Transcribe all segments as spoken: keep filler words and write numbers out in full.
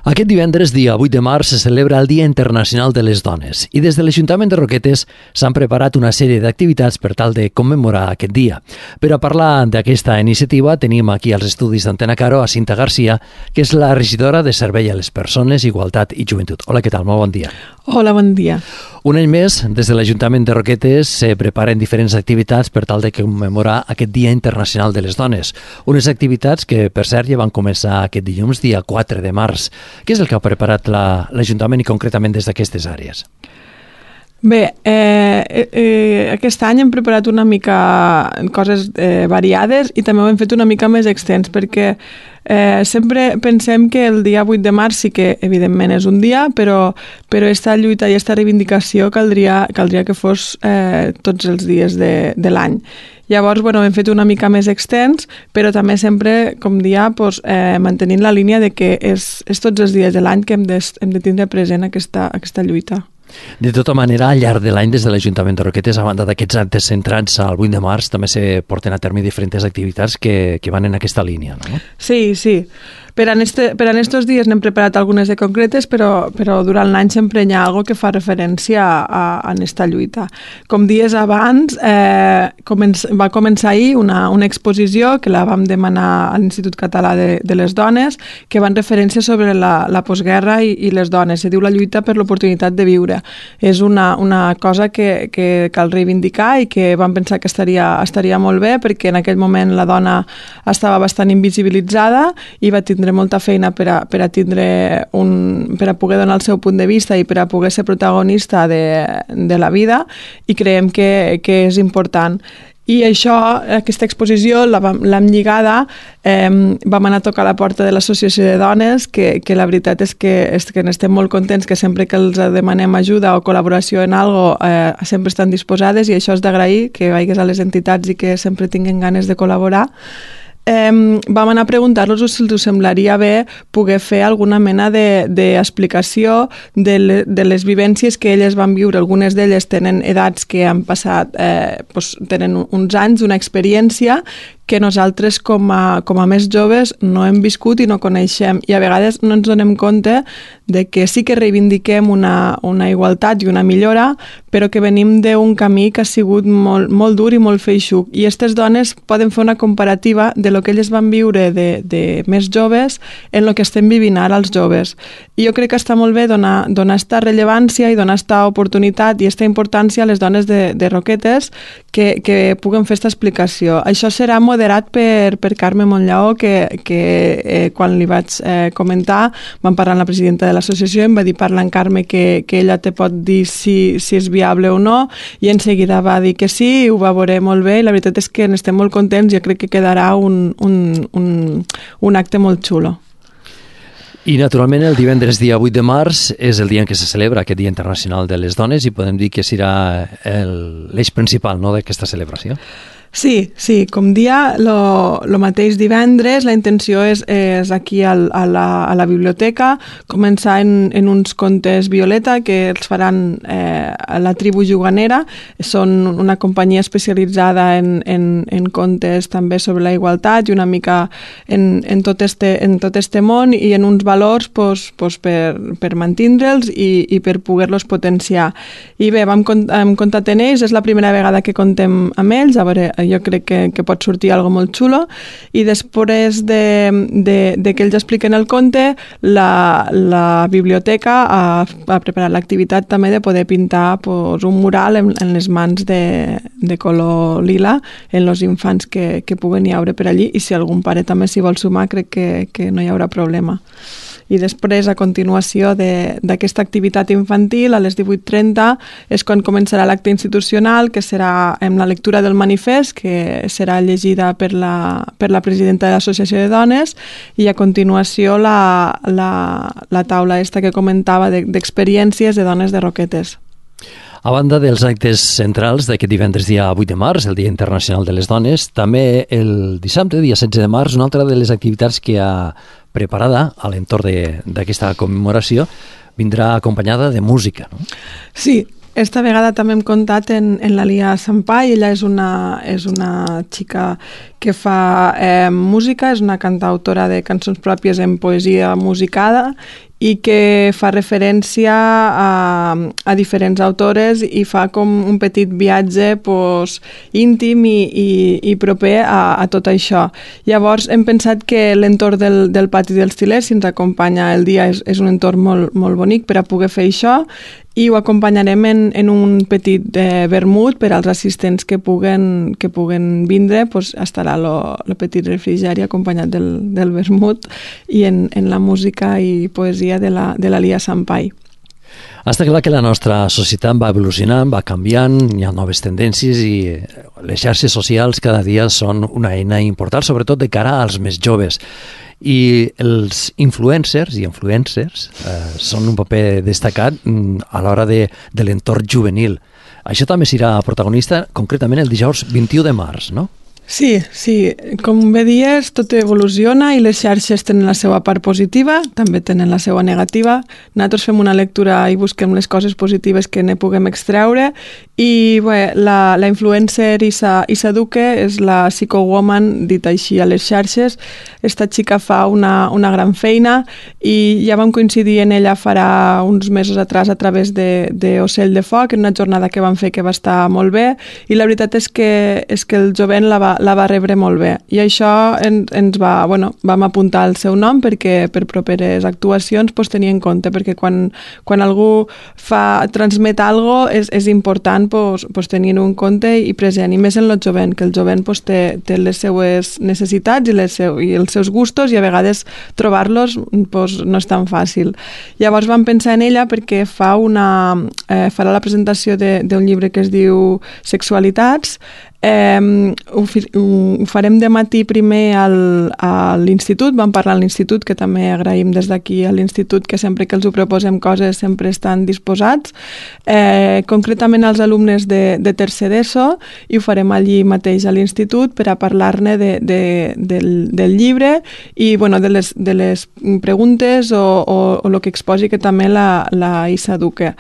Aquest divendres, dia vuit de març, se celebra el Dia Internacional de les Dones i des de l'Ajuntament de Roquetes s'han preparat una sèrie d'activitats per tal de commemorar aquest dia. Per a parlar d'aquesta iniciativa tenim aquí als estudis d'Antena Caro a Cinta Garcia, que és la regidora de Servei a les Persones, Igualtat i Joventut. Hola, què tal? Molt bon dia. Hola, bon dia. Un any més, des de l'Ajuntament de Roquetes se preparen diferents activitats per tal de commemorar aquest Dia Internacional de les Dones. Unes activitats que, per cert, ja van començar aquest dilluns, dia quatre de març. Què és el que ha preparat l'Ajuntament i concretament des d'aquestes àrees? Bé, eh, eh, aquest any hem preparat una mica coses eh, variades i també ho hem fet una mica més extens perquè eh, sempre pensem que el dia vuit de març sí que evidentment és un dia, però, però aquesta lluita i aquesta reivindicació caldria, caldria que fos eh, tots els dies de, de l'any. Llavors, bueno, hem fet una mica més extens, però també sempre, com dia, pues, eh, mantenint la línia de que és, és tots els dies de l'any que hem de, hem de tindre present aquesta, aquesta lluita. De tota manera, al llarg de l'any, des de l'Ajuntament de Roquetes, a banda d'aquests actes centrats al vuit de març, també se porten a terme diferents activitats que, que van en aquesta línia, no? Sí, sí. Per en, este, per en estos dies n'hem preparat algunes de concretes, però, però durant l'any sempre hi ha alguna que fa referència a, a aquesta lluita. Com dies abans, eh, començ, va començar ahir una, una exposició que la vam demanar a l'Institut Català de, de les Dones, que va en referència sobre la, la postguerra i, i les dones. Se diu la lluita per l'oportunitat de viure. És una, una cosa que, que cal reivindicar i que vam pensar que estaria, estaria molt bé perquè en aquell moment la dona estava bastant invisibilitzada i va tindre molta feina per a, per a tindre un, per a poder donar el seu punt de vista i per a poder ser protagonista de, de la vida i creiem que, que és important. I això, aquesta exposició l'hem lligada, eh, vam anar a tocar a la porta de l'Associació de Dones, que, que la veritat és que, és que n'estem molt contents, que sempre que els demanem ajuda o col·laboració en alguna cosa, eh, sempre estan disposades i això és d'agrair, que vagis a les entitats i que sempre tinguin ganes de col·laborar. Eh, vam anar a preguntar-los si els semblaria bé poder fer alguna mena d'explicació de, de, le, de les vivències que elles van viure. Algunes d'elles tenen edats que han passat, eh, doncs, tenen uns anys, una experiència que nosaltres com a, com a més joves no hem viscut i no coneixem i a vegades no ens donem compte de que sí que reivindiquem una, una igualtat i una millora, però que venim d'un camí que ha sigut molt, molt dur i molt feixuc. I aquestes dones poden fer una comparativa de lo que elles van viure de, de més joves en el que estem vivint ara els joves. I jo crec que està molt bé donar, donar esta rellevància i donar esta oportunitat i esta importància a les dones de, de Roquetes que, que puguen fer esta explicació. Això serà moderat per, per Carme Monllaó, que, que eh, quan li vaig eh, comentar, vam parlar amb la presidenta de l'associació, em va dir parlar amb Carme que, que ella te pot dir si, si és viable o no, i en seguida va dir que sí, ho va veure molt bé, i la veritat és que n'estem molt contents, jo crec que quedarà un, un, un, un acte molt xulo. I, naturalment, el divendres dia vuit de març és el dia en què se celebra aquest Dia Internacional de les Dones i podem dir que serà l'eix principal, no, d'aquesta celebració. Sí, sí, com dia, lo, lo mateix divendres, la intenció és, és aquí al, a, la, a la biblioteca, començar en, en uns contes Violeta que els faran eh, a la tribu juganera, són una companyia especialitzada en, en, en contes també sobre la igualtat i una mica en, en, tot, este, en tot este món i en uns valors pues, pues per, per mantindre'ls i, i per poder-los potenciar. I bé, vam, hem comptat en ells, és la primera vegada que contem amb ells, a veure, jo crec que, que pot sortir algo molt xulo i després de, de, de que ells expliquen el conte la, la biblioteca ha, ha preparat l'activitat també de poder pintar pues, un mural en, en les mans de, de color lila en els infants que, que puguen hi haure per allí i si algun pare també s'hi vol sumar crec que, que no hi haurà problema. I després, a continuació d'aquesta activitat infantil, a les divuit trenta, és quan començarà l'acte institucional, que serà amb la lectura del manifest, que serà llegida per la, per la presidenta de l'Associació de Dones, i a continuació la, la, la taula esta que comentava d'experiències de dones de Roquetes. A banda dels actes centrals d'aquest divendres dia vuit de març, el Dia Internacional de les Dones, també el dissabte, dia setze de març, una altra de les activitats que ha preparada a l'entorn d'aquesta commemoració vindrà acompanyada de música, no? Sí, esta vegada també hem comptat en, en la Lia Sampai. Ella és una, és una xica que fa eh, música, és una cantautora de cançons pròpies en poesia musicada i que fa referència a, a diferents autores i fa com un petit viatge pues, íntim i, i, i proper a, a tot això. Llavors hem pensat que l'entorn del, del pati dels Til·lers, si ens acompanya el dia, és, és un entorn molt, molt bonic per a poder fer això, i ho acompanyarem en, en un petit eh, vermut per als assistents que puguen, que puguen vindre, pues, estarà el petit refrigeri acompanyat del, del vermut i en, en la música i poesia de la, de la Lia Sampai. Està clar que la nostra societat va evolucionant, va canviant, hi ha noves tendències i les xarxes socials cada dia són una eina important, sobretot de cara als més joves. I els influencers i influencers eh, són un paper destacat a l'hora de, de l'entorn juvenil. Això també serà protagonista concretament el dijous vint-i-u de març, no? Sí, sí, com bé dies, tot evoluciona i les xarxes tenen la seva part positiva, també tenen la seva negativa. Nosaltres fem una lectura i busquem les coses positives que ne puguem extreure i bé, la, la influencer Isa, Isa Duque és la psycho-woman, dit així a les xarxes. Esta xica fa una, una gran feina i ja vam coincidir en ella farà uns mesos atrás a través de, de Ocell de Foc, en una jornada que vam fer que va estar molt bé i la veritat és que, és que el jovent la va la va rebre molt bé i això en, ens va, bueno, vam apuntar el seu nom perquè per properes actuacions pues, tenir en compte, perquè quan, quan algú fa, transmet algo és, és important pues, pues, tenir-ho en compte i present, i més en el jovent, que el jovent pues, té, té les seues necessitats i, les seu, i els seus gustos i a vegades trobar-los pues, no és tan fàcil. Llavors vam pensar en ella perquè fa una, eh, farà la presentació d'un llibre que es diu Sexualitats. Eh, ho, ho farem de matí primer al, a l'institut, vam parlar a l'institut, que també agraïm des d'aquí a l'institut que sempre que els ho proposem coses sempre estan disposats, eh, concretament als alumnes de, de tercer d'ESO, i ho farem allí mateix a l'institut per a parlar-ne de, de, del, del llibre i bueno, de, les, de les preguntes o, o, o el que exposi que també la, la Isa Duque.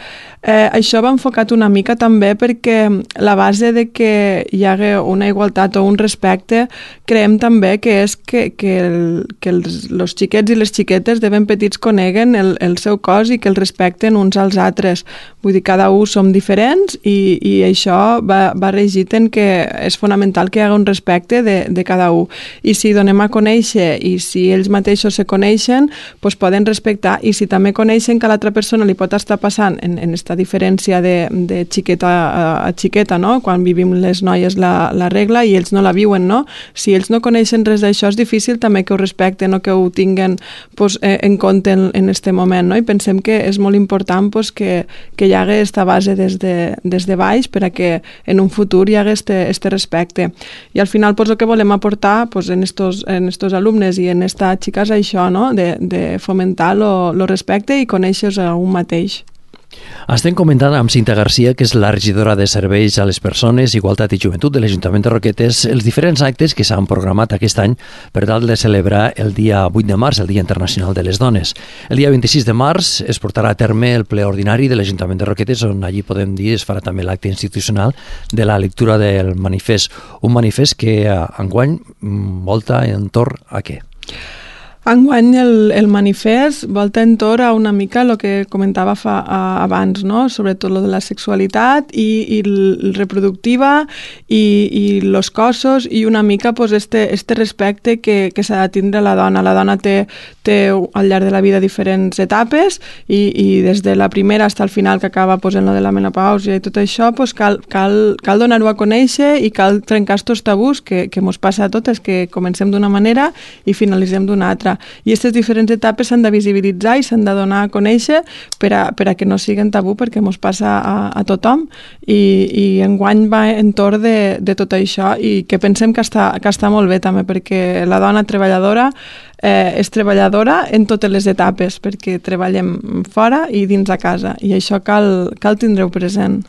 Eh, això va enfocat una mica també perquè la base de que hi hagi una igualtat o un respecte creiem també que és que, que, el, que els, els xiquets i les xiquetes de ben petits coneguen el, el seu cos i que el respecten uns als altres. Vull dir, cada un som diferents i, i això va, va regit en que és fonamental que hi hagi un respecte de, de cada un. I si donem a conèixer i si ells mateixos se coneixen, doncs poden respectar, i si també coneixen que a l'altra persona li pot estar passant en, en esta diferència de, de xiqueta a, a xiqueta, no? Quan vivim les noies la, la regla i ells no la viuen, no? Si ells no coneixen res d'això és difícil també que ho respecten o que ho tinguen pues, eh, en compte en, en este moment, no? I pensem que és molt important pues, que, que hi hagi esta base des de, des de baix per a que en un futur hi hagi este, este respecte. I al final pues, el que volem aportar pues, en, estos, en estos alumnes i en esta xica és això, no? De, de fomentar el respecte i conèixer-se a un mateix. Estem comentant amb Cinta Garcia, que és la regidora de Serveis a les Persones, Igualtat i Joventut de l'Ajuntament de Roquetes, els diferents actes que s'han programat aquest any per tal de celebrar el dia vuit de març, el Dia Internacional de les Dones. El dia vint-i-sis de març es portarà a terme el ple ordinari de l'Ajuntament de Roquetes, on allí podem dir es farà també l'acte institucional de la lectura del manifest. Un manifest que enguany volta entorn a què? Enguany el, el manifest volta entorn a una mica el que comentava fa, a, abans, no? Sobretot lo de la sexualitat i, i el reproductiva i, i los cossos i una mica pues, este, este respecte que, que s'ha de tindre la dona. La dona té, té al llarg de la vida diferents etapes i, i des de la primera fins al final que acaba pues, en lo de la menopàusia i tot això pues, cal, cal, cal donar-ho a conèixer i cal trencar estos tabús que, que mos passa a totes, que comencem d'una manera i finalitzem d'una altra. I aquestes diferents etapes s'han de visibilitzar i s'han de donar a conèixer per a, per a que no siguin tabú, perquè ens passa a, a tothom i, i enguany va entorn de, de tot això i que pensem que està, que està molt bé també, perquè la dona treballadora eh, és treballadora en totes les etapes, perquè treballem fora i dins a casa i això cal, cal tindre-ho present.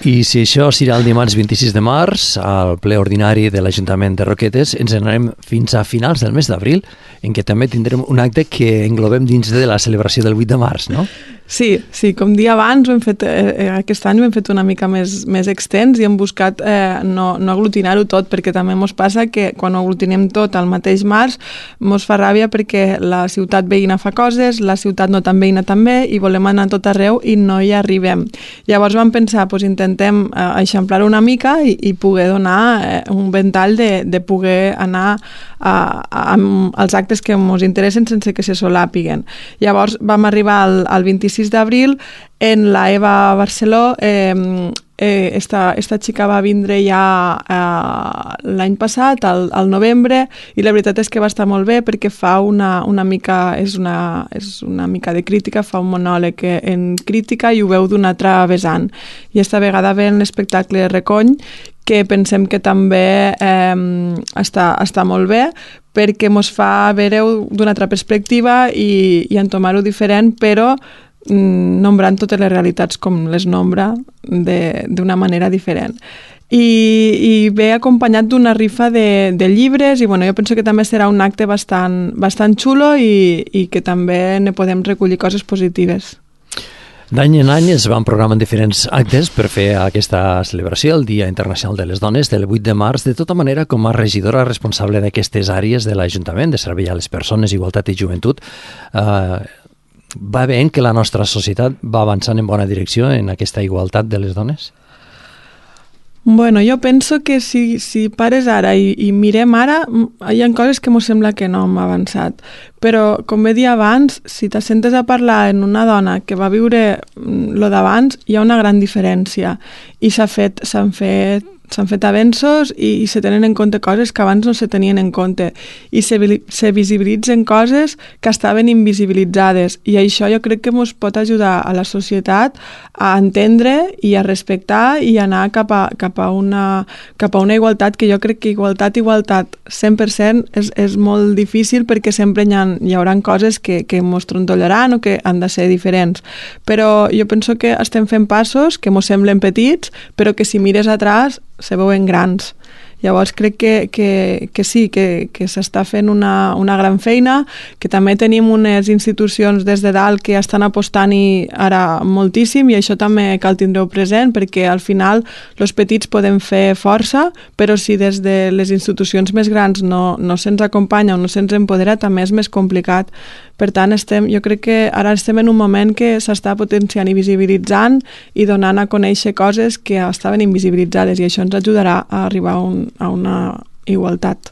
I si això serà el dimarts vint-i-sis de març, al ple ordinari de l'Ajuntament de Roquetes, ens anarem fins a finals del mes d'abril, en què també tindrem un acte que englobem dins de la celebració del vuit de març, no? Sí, sí, com dia abans, ho hem fet, eh, aquest any ho hem fet una mica més, més extens i hem buscat eh, no, no aglutinar-ho tot, perquè també ens passa que quan ho aglutinem tot al mateix març ens fa ràbia perquè la ciutat veïna fa coses, la ciutat no tan veïna també, i volem anar tot arreu i no hi arribem. Llavors vam pensar, doncs intentem eh, eixamplar una mica i, i poder donar eh, un ventall de, de poder anar a, a, als actes que ens interessen sense que se solàpiguen. Llavors vam arribar al, al vint-i-sis d'abril en la Eva Barceló. eh, eh, esta, esta xica va vindre ja eh, l'any passat, al, al novembre, i la veritat és que va estar molt bé perquè fa una, una mica, és una, és una mica de crítica, fa un monòleg en crítica i ho veu d'una altra vessant. I esta vegada ve en l'espectacle Recony, que pensem que també eh, està, està molt bé, perquè ens fa veure-ho d'una altra perspectiva i, i entomar-ho diferent, però mm, nombrant totes les realitats com les nombra d'una manera diferent. I, i ve acompanyat d'una rifa de, de llibres i bueno, jo penso que també serà un acte bastant, bastant xulo i, i que també ne podem recollir coses positives. D'any en any es van programant diferents actes per fer aquesta celebració, el Dia Internacional de les Dones, del vuit de març. De tota manera, com a regidora responsable d'aquestes àrees de l'Ajuntament, de servei a les persones, igualtat i joventut, eh, va veient que la nostra societat va avançant en bona direcció en aquesta igualtat de les dones? Bueno, jo penso que si, si pares ara i, i mirem ara, hi ha coses que m'ho sembla que no hem avançat. Però, com bé dia abans, si t'assentes a parlar en una dona que va viure lo d'abans, hi ha una gran diferència. I s'ha fet, s'han fet s'han fet avenços i, i se tenen en compte coses que abans no se tenien en compte i se, se visibilitzen coses que estaven invisibilitzades, i això jo crec que ens pot ajudar a la societat a entendre i a respectar i anar cap a, cap a, una, cap a una igualtat, que jo crec que igualtat, igualtat cent per cent és, és molt difícil, perquè sempre hi, ha, hi haurà coses que, que ens trontollaran o que han de ser diferents, però jo penso que estem fent passos que ens semblen petits, però que si mires atrás se veuen grans. Llavors crec que, que, que sí, que, que s'està fent una, una gran feina, que també tenim unes institucions des de dalt que estan apostant-hi ara moltíssim, i això també cal tindre-ho present, perquè al final els petits podem fer força, però si des de les institucions més grans no, no se'ns acompanya o no se'ns empodera, també és més complicat. Per tant, estem, jo crec que ara estem en un moment que s'està potenciant i visibilitzant i donant a conèixer coses que estaven invisibilitzades, i això ens ajudarà a arribar a, un, a una igualtat.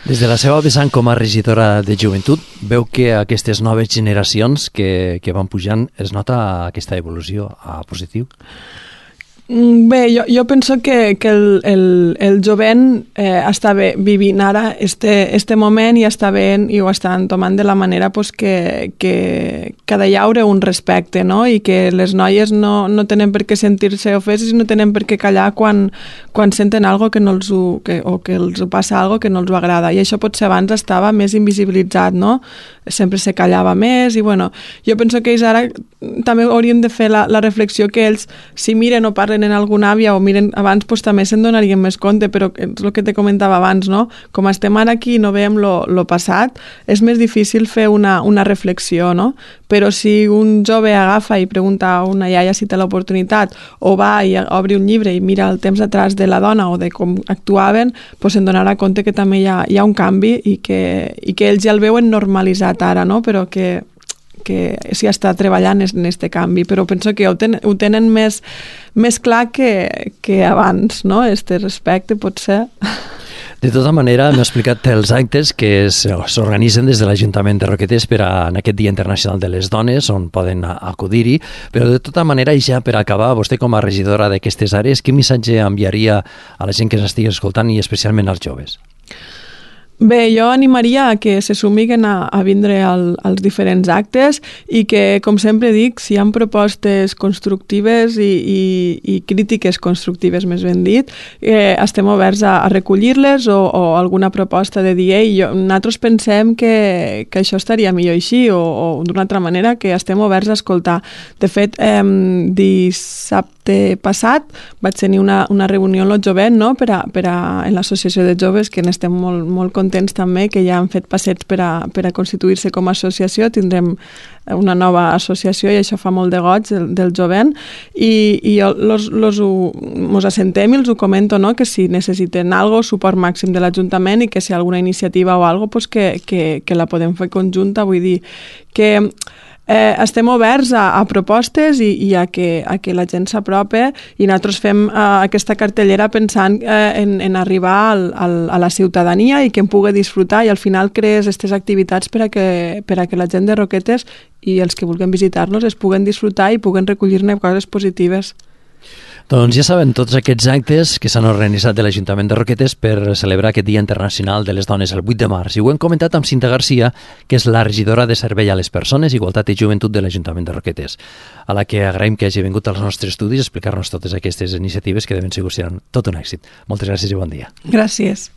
Des de la seva vessant com a regidora de joventut, veu que aquestes noves generacions que, que van pujant es nota aquesta evolució a positiu? Bé, jo, jo penso que, que el, el, el jovent eh, està bé vivint ara este, este moment i està bé i ho estan tomant de la manera pues, que, que, que ha de llaure un respecte, no? I que les noies no, no tenen per què sentir-se ofeses i no tenen per què callar quan, quan senten algo que no els ho, que, o que els passa algo que no els ho agrada. I això potser abans estava més invisibilitzat, no? Sempre se callava més i bueno, jo penso que ells ara també haurien de fer la, la reflexió que ells, si miren o parlen en alguna àvia o miren abans, pues, també se'n donarien més compte, però és el que te comentava abans, no? Com estem ara aquí i no veiem lo, lo passat, és més difícil fer una, una reflexió, no? Però si un jove agafa i pregunta a una iaia si té l'oportunitat, o va i obre un llibre i mira el temps atrás de la dona o de com actuaven, pues se'n donarà compte que també hi ha, hi ha un canvi i que, i que ells ja el veuen normalitzat ara, no? Però que que s'hi està treballant en aquest canvi, però penso que ho, ten, ho tenen més, més clar que, que abans, no? Este respecte, potser. De tota manera, m'ha explicat els actes que s'organitzen des de l'Ajuntament de Roquetes per a, en aquest Dia Internacional de les Dones, on poden acudir-hi, però de tota manera, i ja per acabar, vostè com a regidora d'aquestes àrees, quin missatge enviaria a la gent que s'estigui escoltant i especialment als joves? Bé, jo animaria a que se sumiguen a, a vindre al, als diferents actes i que, com sempre dic, si hi ha propostes constructives i, i, i crítiques constructives, més ben dit, eh, estem oberts a, a recollir-les o, o alguna proposta de dir, ei, jo, nosaltres pensem que, que això estaria millor així o, o d'una altra manera, que estem oberts a escoltar. De fet, eh, dissabte passat vaig tenir una, una reunió amb el jovent, no? per a, per a, en l'associació de joves, que n'estem molt, molt contents contents també, que ja han fet passets per a, per a constituir-se com a associació. Tindrem una nova associació i això fa molt de goig del, del jovent, i, i jo los, los ho, mos assentem i els ho comento, no? Que si necessiten algo, suport màxim de l'Ajuntament, i que si hi ha alguna iniciativa o algo, pues que, que, que la podem fer conjunta. Vull dir que Eh, estem oberts a, a propostes i, i a, que, a que la gent s'apropi, i nosaltres fem eh, aquesta cartellera pensant eh, en, en arribar al, al, a la ciutadania i que en pugui disfrutar, i al final crees aquestes activitats per a, que, per a que la gent de Roquetes i els que vulguin visitar-nos es puguen disfrutar i puguen recollir-ne coses positives. Doncs ja saben, tots aquests actes que s'han organitzat de l'Ajuntament de Roquetes per celebrar aquest Dia Internacional de les Dones el vuit de març. I ho hem comentat amb Cinta Garcia, que és la regidora de Servei a les Persones, Igualtat i Joventut de l'Ajuntament de Roquetes, a la que agraïm que hagi vingut als nostres estudis a explicar-nos totes aquestes iniciatives que de ben segur seran tot un èxit. Moltes gràcies i bon dia. Gràcies.